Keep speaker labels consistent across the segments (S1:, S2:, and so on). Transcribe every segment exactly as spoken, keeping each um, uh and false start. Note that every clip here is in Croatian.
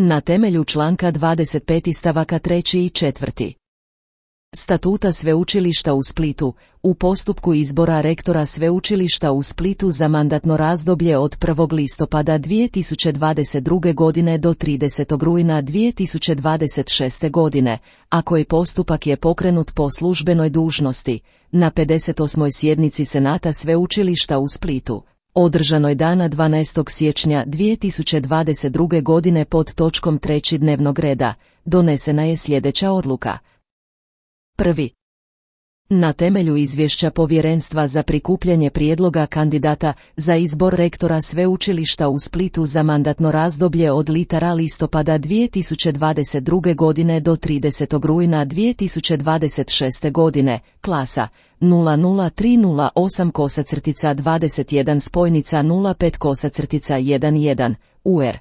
S1: Na temelju članka dvadeset pet stavaka treći i četvrti Statuta Sveučilišta u Splitu, u postupku izbora rektora Sveučilišta u Splitu za mandatno razdoblje od prvog listopada dvije tisuće dvadeset druge. godine do tridesetog rujna dvije tisuće dvadeset šeste. godine, a koji postupak je pokrenut po službenoj dužnosti, na pedeset osmoj sjednici Senata Sveučilišta u Splitu, održanoj dana dvanaestog siječnja dvije tisuće dvadeset druge. godine pod točkom treći dnevnog reda, donesena je sljedeća odluka. Prvi. Na temelju izvješća Povjerenstva za prikupljanje prijedloga kandidata za izbor rektora Sveučilišta u Splitu za mandatno razdoblje od litara listopada dvije tisuće dvadeset druge. godine do tridesetog rujna dvije tisuće dvadeset šeste. godine, klasa nula nula tri nula osam kosacrtica dvadeset jedan spojnica nula pet kosacrtica jedan, U R.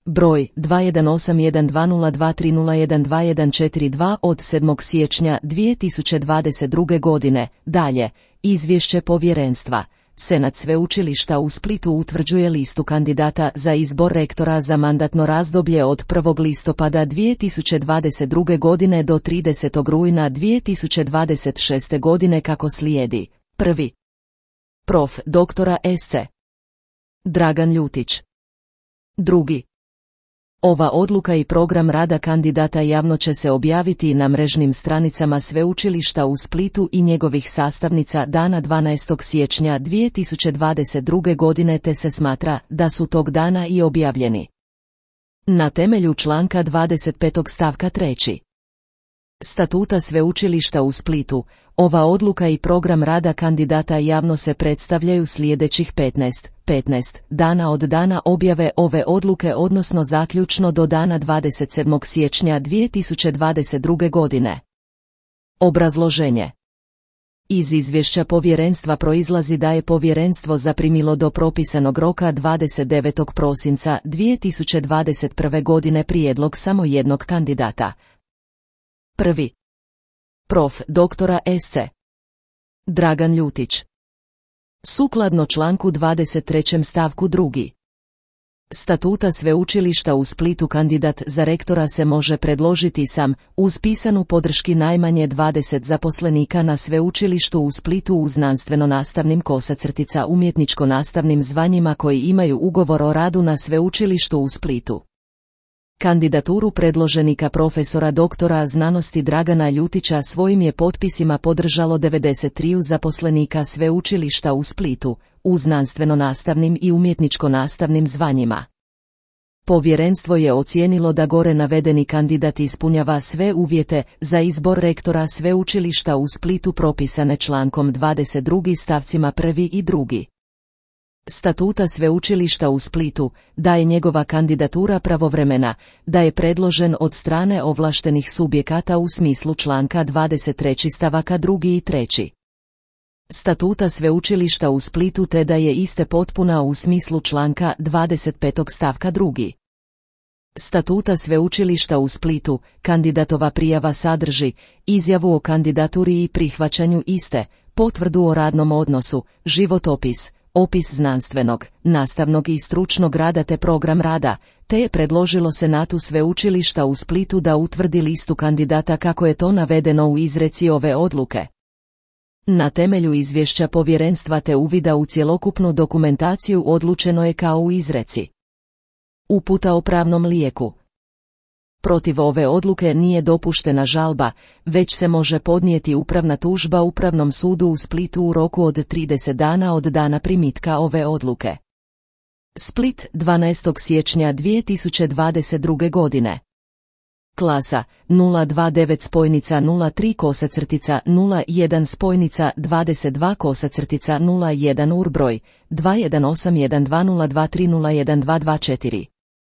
S1: Broj dva jedan osam jedan dva nula dva tri nula jedan dva jedan četiri dva od sedmog siječnja dvije tisuće dvadeset druge. godine. Dalje, izvješće Povjerenstva. Senat Sveučilišta u Splitu utvrđuje listu kandidata za izbor rektora za mandatno razdoblje od prvog listopada dvije tisuće dvadeset druge. godine do tridesetog rujna dvije tisuće dvadeset šeste. godine kako slijedi. Prvi. Prof. doktora S C Dragan Ljutić. Drugi. Ova odluka i program rada kandidata javno će se objaviti na mrežnim stranicama Sveučilišta u Splitu i njegovih sastavnica dana dvanaestog siječnja dvije tisuće dvadeset druge. godine te se smatra da su tog dana i objavljeni. Na temelju članka dvadeset pet stavka treći Statuta Sveučilišta u Splitu, ova odluka i program rada kandidata javno se predstavljaju sljedećih petnaest dana od dana objave ove odluke odnosno zaključno do dana dvadeset sedmog siječnja dvije tisuće dvadeset druge. godine. Obrazloženje. Iz izvješća Povjerenstva proizlazi da je Povjerenstvo zaprimilo do propisanog roka dvadeset devetog prosinca dvije tisuće dvadeset prve. godine prijedlog samo jednog kandidata. Prvi. Prof. doktora S C Dragan Ljutić. Sukladno članku dvadeset trećem stavku drugi Statuta Sveučilišta u Splitu kandidat za rektora se može predložiti sam, uz pisanu podrški najmanje dvadeset zaposlenika na Sveučilištu u Splitu u znanstveno-nastavnim kosacrtica umjetničko-nastavnim zvanjima koji imaju ugovor o radu na Sveučilištu u Splitu. Kandidaturu predloženika profesora doktora znanosti Dragana Ljutića svojim je potpisima podržalo devedeset tri zaposlenika Sveučilišta u Splitu, u znanstveno-nastavnim i umjetničko-nastavnim zvanjima. Povjerenstvo je ocijenilo da gore navedeni kandidat ispunjava sve uvjete za izbor rektora Sveučilišta u Splitu propisane člankom dvadeset dva stavcima prvi i drugi Statuta Sveučilišta u Splitu, da je njegova kandidatura pravovremena, da je predložen od strane ovlaštenih subjekata u smislu članka dvadeset tri stavaka drugi i treći Statuta Sveučilišta u Splitu te da je iste potpuna u smislu članka dvadeset pet stavka drugi Statuta Sveučilišta u Splitu, kandidatova prijava sadrži izjavu o kandidaturi i prihvaćanju iste, potvrdu o radnom odnosu, životopis, opis znanstvenog, nastavnog i stručnog rada te program rada, te je predložilo Senatu Sveučilišta u Splitu da utvrdi listu kandidata kako je to navedeno u izreci ove odluke. Na temelju izvješća Povjerenstva te uvida u cjelokupnu dokumentaciju odlučeno je kao u izreci. Uputa o pravnom lijeku. Protiv ove odluke nije dopuštena žalba, već se može podnijeti upravna tužba Upravnom sudu u Splitu u roku od trideset dana od dana primitka ove odluke. Split, dvanaestog siječnja dvije tisuće dvadeset druge. godine. Klasa nula dva devet spojnica nula tri kosacrtica nula jedan spojnica dvadeset dva kosacrtica nula jedan urbroj dva jedan osam jedan dva nula dva tri nula jedan dva dva četiri